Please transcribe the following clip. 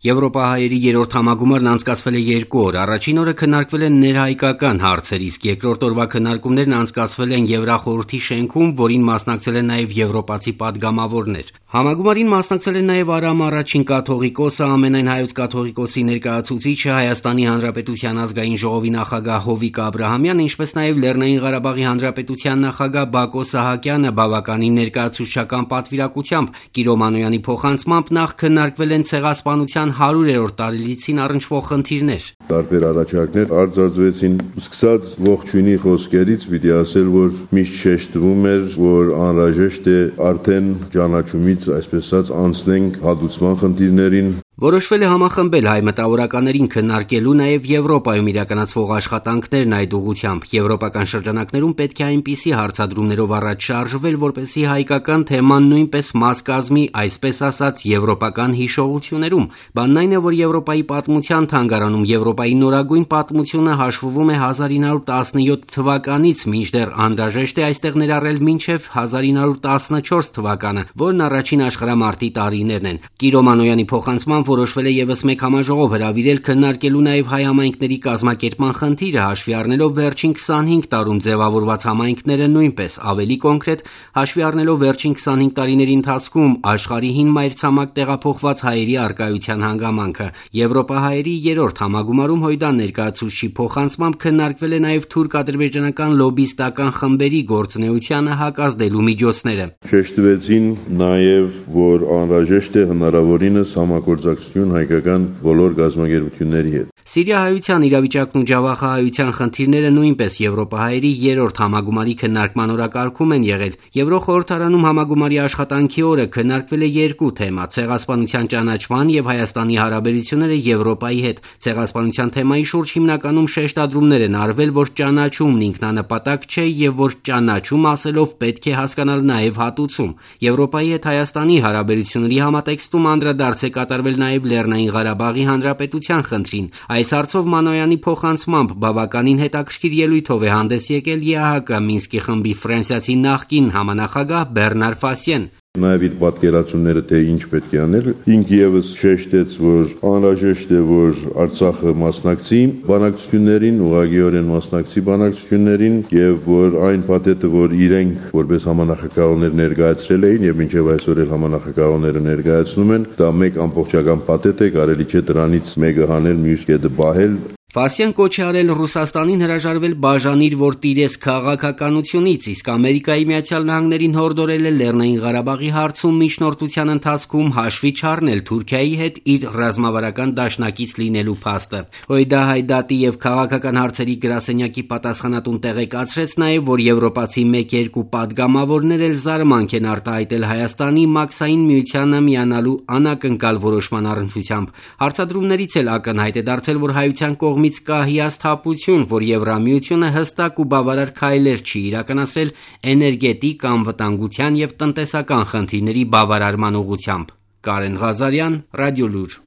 Եվրոպահայերի երրորդ համագումարն անցկացվել է 2 օր, առաջին օրը քննարկվել են ներհայկական հարցեր, իսկ երկրորդ օրվա քննարկումներն անցկացվել են Եվրախորհրդի շենքում, որին մասնակցել են նաև եվրոպացի պատգամավորներ։ Համագումարին մասնակցել են նաև Արամ առաջին կաթողիկոսը, ամենայն հայոց կաթողիկոսի ներկայացուցիչը, Հայաստանի Հանրապետության ազգային ժողովի նախագահ Հովիկ Աբրահամյանը, ինչպես նաև Լեռնային Ղարաբաղի Հանրապետության նախագահ Բակո Սահակյանը բավականին ներկայացուցչական պատվիրակությամբ։ Կիրո Մանոյանի փոխանցմամբ նախ քննարկվել են ցեղասպանության 100-րդ տարելիցին առնչվող խնդիրներ։ Տարբեր առաջարկներ արձանագրվեցին, սկսած ողջույնի խոսքերից, պիտի ասել, որ միշտ շեշտվում էր, որ անհրաժեշտ է արդեն ճանաչումից, այսպես ասած, անցնենք հատուցման խնդիրներին։ Որոշվել է համախմբել հայ մտավորականներին քննարկելու նաև Եվրոպայում իրականացվող աշխատանքներն այդ ուղղությամբ։ Եվրոպական շրջանակներում պետք է այնպիսի հարցադրումներով առաջ շարժվել, որպեսզի հայկական թեման նույնպես մաս կազմի, այսպես ասած, եվրոպական հիշողություններում։ Բանն այն է, որ Եվրոպայի պատմության թանգարանում Եվրոպայի նորագույն պատմությունը հաշվվում է 1917 թվականից, մինչդեռ անհրաժեշտ է այստեղ ներառել մինչև 1914 թվականը, որն առաջին աշխարհամարտի տարիներն են։ Կիրո Մանոյանի փոխանցմամբ որոշվել է եւս մեկ համաժողով հրավիրել քննարկելու նաև հայ համայնքների կազմակերպման խնդիրը, հաշվի առնելով վերջին 25 տարում ձևավորված համայնքները նույնպես, ավելի կոնկրետ, հաշվի առնելով վերջին 25 տարիների ընթացքում աշխարհի հին մայրցամաք տեղափոխված հայերի առկայության հանգամանքը։ Եվրոպահայերի երրորդ համագումարում Հույդան ներկայացուցչի փոխանցմամբ քննարկվել է նաև թուրք-ադրբեջանական լոբիստական խմբերի գործունեությանը հակազդելու միջոցները։ Շեշտվեցին նաև, որ անհրաժեշտ է հնարավորինս համագործակցություն հայկական բոլոր գազམ་ագերբությունների հետ։ Սիրիահայության իրավիճակն ու ջավախահայության խնդիրները նույնպես Եվրոպահայերի երրորդ համագումարի քննարկման օրակարգում են եղել։ Եվրոխորհրդարանում համագումարի աշխատանքի օրը քննարկվել է 2 թեմա՝ ցեղասպանության ճանաչման եւ Հայաստանի հարաբերությունները Եվրոպայի հետ։ Ցեղասպանության թեմայի շուրջ հիմնականում շեշտադրումներ են արվել, որ ճանաչումն ինքնանպատակ չէ եւ որ ճանաչում ասելով պետք է հասկանալ նաեւ հատուցում։ Եվրոպայի հետ Հայաստանի հարաբերությունների համատեքստում անդրադարձ է կատարվել նաեւ Լեռնային Ղարաբաղի Հանրապետության խնդրին։ Այս հարցով Մանոյանի փոխանցմամբ բավականին հետաքրքիր ելույթով է հանդես եկել ԵԱՀԿ Մինսկի խմբի ֆրանսիացի նախկին համանախագահ Բեռնար Ֆասիեն։ Նաև իր պատկերացումները թե ինչ պետք է անել, ինք եւս շեշտեց, որ անհրաժեշտ է, որ Արցախը մասնակցի բանակցություններին, ուղղակիորեն մասնակցի բանակցություններին եւ որ այն փաթեթը, որ իրենք որպես համանախագահներ ներկայացրել էին եւ մինչեւ այսօր էլ համանախագահները ներկայացնում են, դա մեկ ամբողջական փաթեթ է, կարելի չէ դրանից մեկը հանել, մյուս կետը բահել։ Ֆասիան կոչ է արել Ռուսաստանին հրաժարվել բաժանիր, որ տիրես քաղաքականությունից, իսկ Ամերիկայի Միացյալ Նահանգներին հորդորել է Լեռնային Ղարաբաղի հարցում միջնորդության ընթացքում հաշվի չառնել Թուրքիայի հետ իր ռազմավարական դաշնակից լինելու փաստը։ Հույդա Հայդատի եւ քաղաքական հարցերի գրասենյակի պատասխանատուն տեղեկացրեց նաեւ, որ եվրոպացի 1-2 պատգամավորներ էլ զարմանք են արտահայտել Հայաստանի մաքսային միությանը միանալու անակնկալ որոշման առնչությամբ։ Հարցադրումներից էլ ակնհայտ է դարձել, որ հայության կողմից կա հիասթափություն, որ Եվրամիությունը հստակ ու բավարար քայլեր չի իրականացրել էներգետիկ, անվտանգության եւ տնտեսական խնդիրների բավարարման ուղղությամբ։ Կարեն Ղազարյան, Ռադիոլուր։